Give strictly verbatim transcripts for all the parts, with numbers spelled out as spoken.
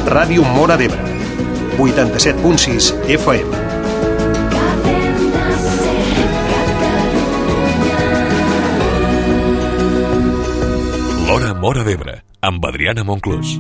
Ràdio Móra d'Ebre, vuitanta-set punt sis F M. L'Hora Móra d'Ebre, amb Adriana Monclús.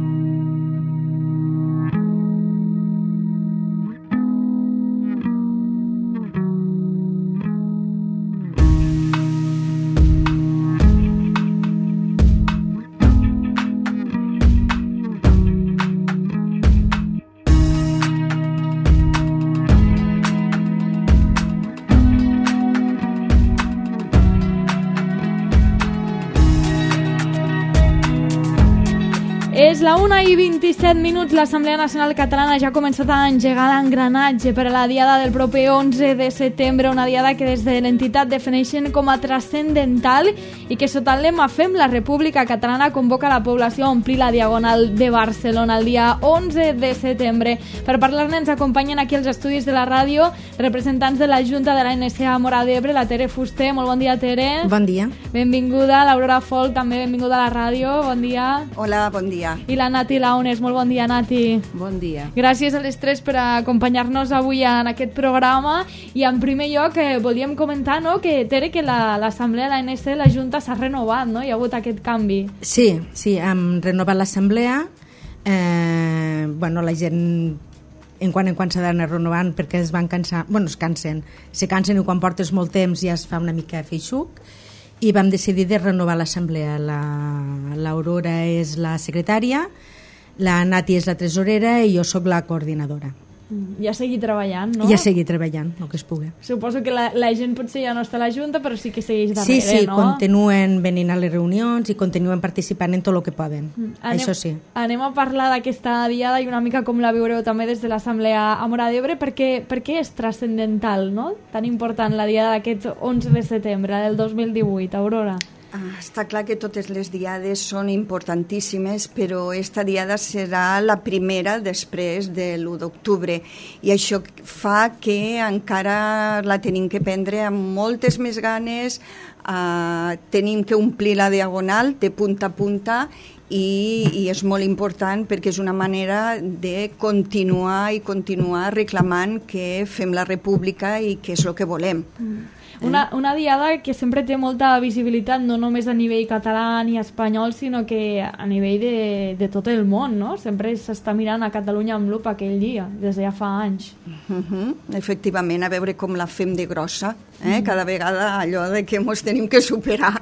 És la una i vint-i-set minuts. L'Assemblea Nacional Catalana ja ha començat a engegar l'engranatge per a la diada del proper onze de setembre, una diada que des de l'entitat defineixen com a transcendental i que sota el lema Fem la República Catalana convoca la població a omplir la Diagonal de Barcelona el dia onze de setembre. Per parlar-ne ens acompanyen aquí els estudis de la ràdio representants de la Junta de la N S A Móra d'Ebre, la Tere Fuster. Molt bon dia, Tere. Bon dia. Benvinguda. L'Aurora Folk, també benvinguda a la ràdio. Bon dia. Hola, bon dia. I la Nati Launes. Molt bon dia, Nati. Bon dia. Gràcies a les tres per acompanyar-nos avui en aquest programa. I en primer lloc eh, volíem comentar, no?, que, Tere, que l'Assemblea la, de la N S, la Junta s'ha renovat, no? Hi ha hagut aquest canvi. Sí, sí, hem renovat l'Assemblea. Eh, bueno, la gent en quan en quan s'ha d'anar renovant perquè es van cansar, bueno, es cansen, se cansen i quan portes molt temps ja es fa una mica feixuc. I vam decidir de renovar l'assemblea. L'Aurora és la secretària, la Nati és la tresorera i jo sóc la coordinadora. Ja seguir treballant, no? Ja seguir treballant, el que es pugui. Suposo que la, la gent potser ja no està a la Junta, però sí que segueix darrere, sí, sí, no? Sí, continuen venint a les reunions i continuen participant en tot el que poden. Mm. Anem, això sí. Anem a parlar d'aquesta diada i una mica com la viureu també des de l'Assemblea a Móra d'Ebre, perquè, perquè és transcendental, no? Tan important la diada d'aquest onze de setembre del dos mil divuit, Aurora. Ah, està clar que totes les diades són importantíssimes, però esta diada serà la primera després de l'u d'octubre i això fa que encara la tenim que prendre amb moltes més ganes, eh, tenim que omplir la diagonal de punta a punta i, i és molt important perquè és una manera de continuar i continuar reclamant que fem la república i que és el que volem. Mm. Una, una diada que sempre té molta visibilitat, no només a nivell català ni espanyol, sinó que a nivell de, de tot el món, no? Sempre s'està mirant a Catalunya amb lupa aquell dia, des de ja fa anys. Uh-huh. Efectivament, a veure com la fem de grossa, eh? Mm. Cada vegada allò de que ens tenim que superar.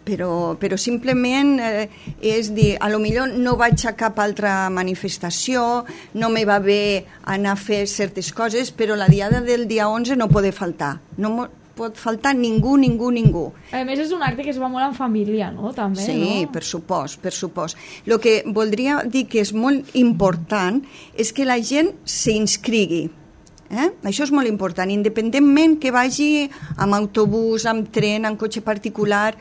Però, però simplement eh, és dir, a lo millor no vaig a cap altra manifestació, no me va bé anar a fer certes coses, però la diada del dia onze no pot faltar. No pot faltar ningú, ningú, ningú. A més, és un acte que es va molt en família, no? També, sí, no? per supost, per supost. El que voldria dir que és molt important és que la gent s'inscrigui. Eh? Això és molt important, independentment que vagi amb autobús, amb tren, amb cotxe particular,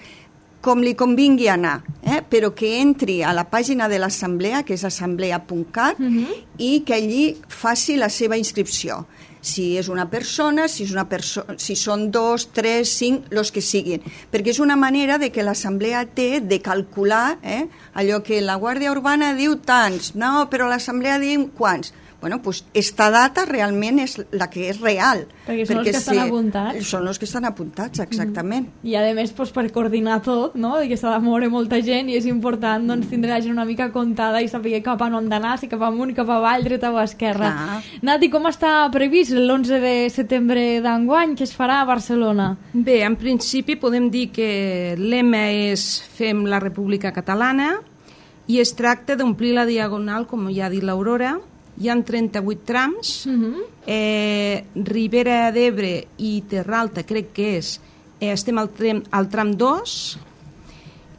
com li convingui anar, eh? Però que entri a la pàgina de l'assemblea, que és assemblea punt cat, uh-huh. i que allí faci la seva inscripció. Si és una persona, si, és una perso- si són dos, tres, cinc, els que siguin. Perquè és una manera de que l'assemblea té de calcular eh? allò que la Guàrdia Urbana diu tants, no, però l'assemblea diu quants. Bueno, pues esta data realment és la que és real. Perquè són perquè els que estan sí, apuntats. Són els que estan apuntats, exactament. Mm. I a més, pues, per coordinar tot, no? que s'ha de moure molta gent i és important doncs, tindre la gent una mica comptada i saber cap a on hem d'anar, si cap amunt, cap avall, dreta o esquerra. Clar. Nati, com està previst l'onze de setembre d'enguany que es farà a Barcelona? Bé, en principi podem dir que lema és Fem la República Catalana i es tracta d'omplir la diagonal, com ja ha dit l'Aurora. Hi ha trenta-vuit trams, uh-huh. eh, Ribera d'Ebre i Terra Alta crec que és, eh, estem al tram, al tram dos,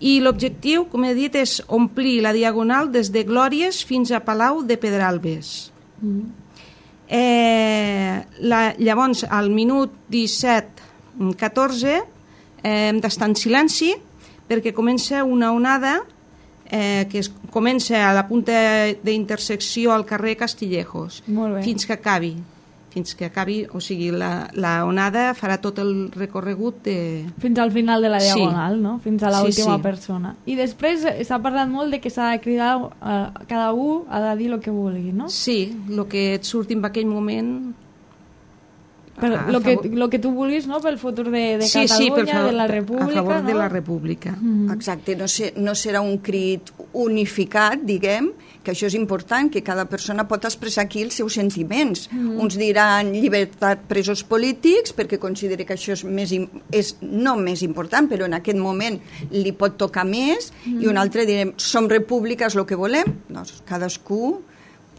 i l'objectiu, com he dit, és omplir la diagonal des de Glòries fins a Palau de Pedralbes. Uh-huh. Eh, la, llavors, al minut disset catorze eh, hem d'estar en silenci perquè comença una onada Eh, que es comença a la punta d'intersecció al carrer Castillejos fins que acabi fins que acabi, o sigui, la, la onada farà tot el recorregut de... Fins al final de la Sí. diagonal, no? Fins a l'última Sí, sí. persona. I després eh, s'ha parlat molt de que s'ha de cridar, eh, cada un ha de dir el que vulgui, no? Sí, el que et surti en aquell moment... Per a- a lo que, favor- lo que tu vulguis, no? Pel futur de, de sí, sí, per Catalunya, favor, de la a República, favor no? de la República. Mm. Exacte, no, ser, no serà un crit unificat, diguem, que això és important, que cada persona pot expressar aquí els seus sentiments. Mm. Uns diran llibertat presos polítics, perquè considera que això és, més, im- és no més important, però en aquest moment li pot tocar més, mm. i un altre direm, som república, és el que volem. Doncs cadascú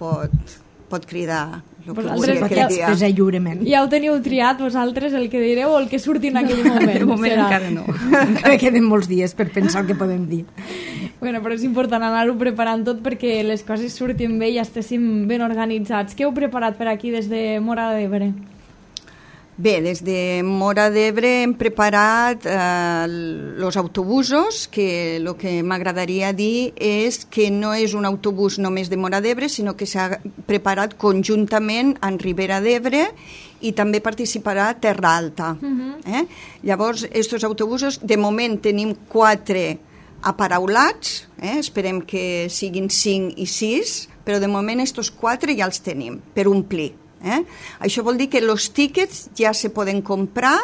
pot, pot cridar el que Vosaltres vulgui pot aquell dia. expressar lliurement. Ja ho teniu triat vosaltres, el que direu o el que surti en aquell moment? De moment serà? encara no. Encara queden molts dies per pensar el que podem dir. Bueno, però és important anar-ho preparant tot perquè les coses surtin bé i estéssim ben organitzats. Què heu preparat per aquí des de Móra d'Ebre? Bé, des de Móra d'Ebre hem preparat els eh, autobusos, que el que m'agradaria dir és que no és un autobús només de Móra d'Ebre, sinó que s'ha preparat conjuntament en Ribera d'Ebre i també participarà Terra Alta. Uh-huh. eh? Llavors, aquests autobusos, de moment tenim quatre aparaulats, eh? Esperem que siguin cinc i sis, però de moment aquests quatre ja els tenim per omplir. Eh? Això vol dir que els tíquets ja se poden comprar,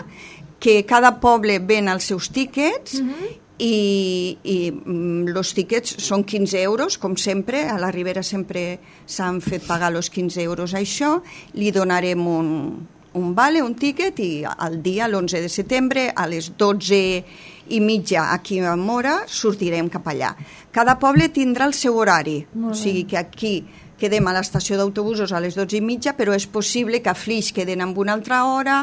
que cada poble ven els seus tíquets, uh-huh. i, i els tíquets són quinze euros, com sempre, a la Ribera sempre s'han fet pagar els quinze euros a això, li donarem un, un vale, un tíquet, i al dia, l'onze de setembre, a les dotze i mitja aquí a Móra, sortirem cap allà. Cada poble tindrà el seu horari, o sigui que aquí quedem a l'estació d'autobusos a les dotze i mitja, però és possible que a Flix queden amb una altra hora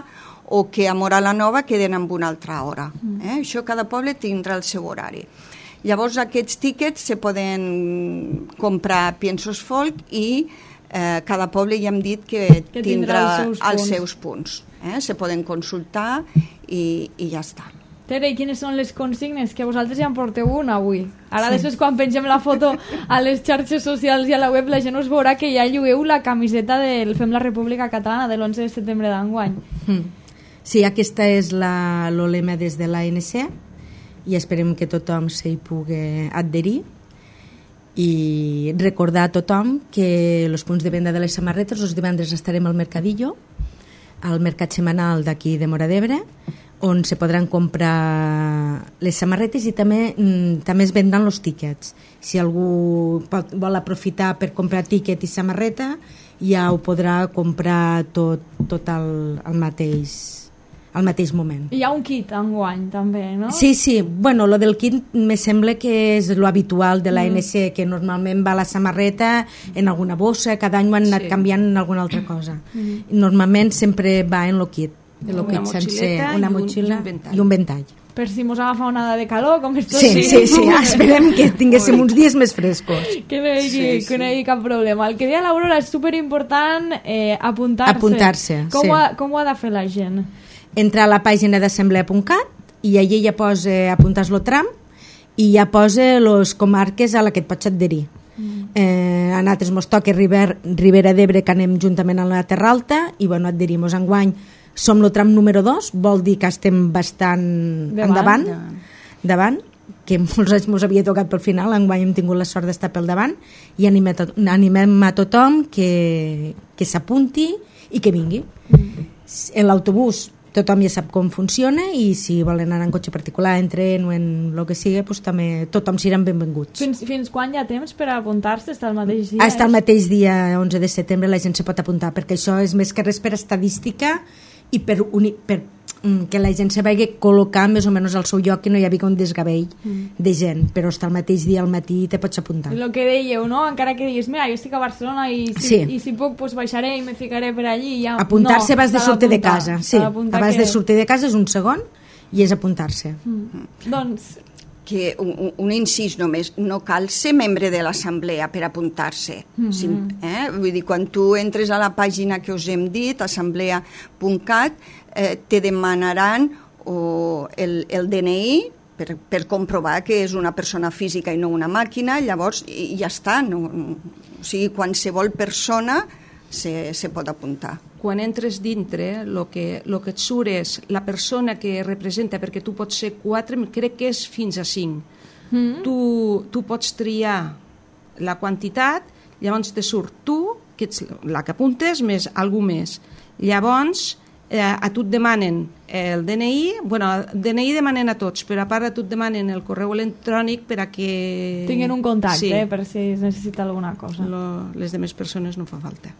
o que a Móra la Nova queden amb una altra hora. Eh? Això cada poble tindrà el seu horari. Llavors aquests tíquets se poden comprar a Piensos Folk i eh, cada poble ja hem dit que, Que tindrà, tindrà els seus els punts. seus punts. Eh? Se poden consultar i, i ja està. Tere, i quines són les consignes? Que vosaltres ja en porteu una avui. Ara, sí. Després, quan pengem la foto a les xarxes socials i a la web, la gent us veurà que ja llueu la camiseta del Fem la República Catalana de l'onze de setembre d'enguany. Mm. Sí, aquesta és la, el lema des de l'A N C i esperem que tothom s'hi pugui adherir i recordar a tothom que els punts de venda de les samarretes els divendres estarem al Mercadillo, al mercat setmanal d'aquí de Móra d'Ebre, on se podran comprar les samarretes i també mm, també es vendran els tíquets. Si algú pot, vol aprofitar per comprar tíquet i samarreta, ja ho podrà comprar tot, tot al, al mateix al mateix moment. Hi ha un kit enguany, també, no? Sí, sí. Bueno, lo del kit me sembla que és lo habitual de l'A N C, mm. que normalment va la samarreta en alguna bossa, cada any ho han anat Sí. canviant en alguna altra cosa. Mm. Normalment sempre va en lo kit. En lo Una kit sencer, motxileta una i un- motxilla i un ventall. i un ventall. Per si mos agafa onada de calor, com estos Sí, sí, sí. Esperem que tinguéssim uns dies més frescos. Que no hi hagi, Sí, sí. que no hi hagi cap problema. El que deia l'Aurora és superimportant eh, apuntar-se. Apuntar-se, com, sí. ho ha, com ho ha de fer la gent? Entrar a la pàgina d'assemblea punt cat i allí ja posa apuntar-lo tram i ja posa les comarques a la que et pots adherir. Mm. Eh, a nosaltres mos toca Riber, Ribera d'Ebre, que anem juntament a la Terra Alta, i bueno, adherim-nos enguany. Som el tram número dos, vol dir que estem bastant Davant. endavant, davant, que molts anys mos havia tocat pel final, enguany hem tingut la sort d'estar pel davant, i animem a, to animem a tothom que, que s'apunti i que vingui. Mm. En l'autobús tothom ja sap com funciona i si volen anar en cotxe particular, en tren o en el que sigui, pues, també tothom seran benvinguts. Fins, fins quan hi ha temps per apuntar-se? Està el mateix dia? Hasta el mateix dia onze de setembre la gent se pot apuntar, perquè això és més que res per estadística i per, uni, per mm, que la gent se vagi col·locar més o menys al seu lloc, que no hi havia un desgavell mm. de gent, però hasta el mateix dia al matí te pots apuntar. El que dèieu, no? Encara que diguis, mira, jo estic a Barcelona i si, Sí. i si puc, pues baixaré i me ficaré per allí i ja... Apuntar-se no, abans de s'ha sortir de d'apuntar, casa, sí, s'ha d'apuntar abans que... de sortir de casa és un segon i és apuntar-se. Mm. Doncs, Que un, un incís només, no cal ser membre de l'assemblea per apuntar-se. Mm-hmm. Sí, eh? Vull dir, quan tu entres a la pàgina que us hem dit, assemblea punt cat, eh, te demanaran o el, el D N I per, per comprovar que és una persona física i no una màquina, llavors i, ja està. No, o sigui, qualsevol persona se, se pot apuntar. Quan entres dintre, el que, lo que et surt és la persona que representa, perquè tu pots ser quatre, crec que és fins a cinc. Mm. Tu, tu pots triar la quantitat, llavors te surt tu, que ets la que apuntes, més algú més. Llavors, eh, a tu et demanen el D N I, bueno, el D N I demanen a tots, però a part a tu et demanen el correu electrònic per a que... tinguin un contacte, sí. eh, per si es necessita alguna cosa. Lo, les demés persones no fa falta.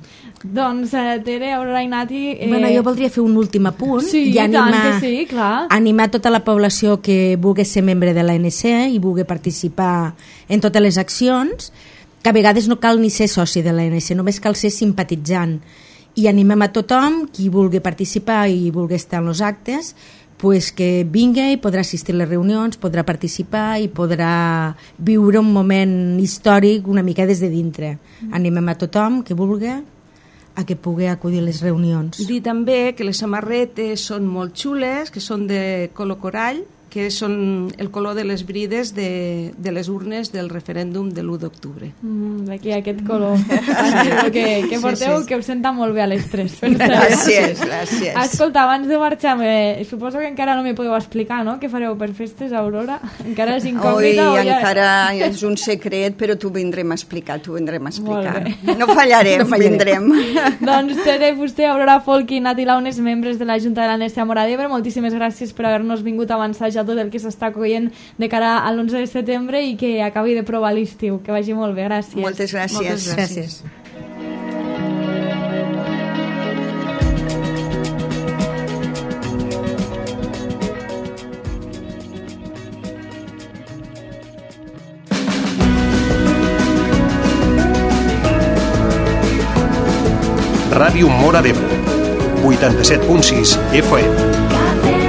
Doncs, eh, Tere, Aurora i Nati... Eh... Bueno, jo voldria fer un últim apunt sí, i animar, tant que sí, clar. animar tota la població que vulgui ser membre de l'A N C i vulgui participar en totes les accions, que a vegades no cal ni ser soci de l'A N C, només cal ser simpatitzant. I animem a tothom, qui vulgui participar i vulgui estar en els actes, pues que vingui i podrà assistir a les reunions, podrà participar i podrà viure un moment històric una mica des de dintre. Animem a tothom que vulgui a que pugui acudir a les reunions. Dir també que les samarretes són molt xules, que són de color corall, que són el color de les brides de, de les urnes del referèndum de l'u d'octubre. Mm, d'aquí aquest color. Sí, que, que porteu, sí, sí. Que us senta molt bé a les tres. Gràcies, gràcies. Escolta, abans de marxar, me, suposo que encara no m'hi podeu explicar, no?, què fareu per festes, Aurora? Encara és incògnita? Oi, o ja... encara és un secret, però t'ho vindrem a explicar, t'ho vindrem a explicar. No fallarem, no fallarem. Vindrem. Doncs Tere Fuster, Aurora Folk i Nati Launes, membres de la Junta de l'A N C a Móra d'Ebre, moltíssimes gràcies per haver-nos vingut a avançar tot el que s'està coient de cara a l'onze de setembre i que acabi de provar l'estiu. Que vagi molt bé, gràcies. Moltes gràcies. Moltes gràcies. Ràdio Móra d'Ebre, vuitanta-set punt sis F M.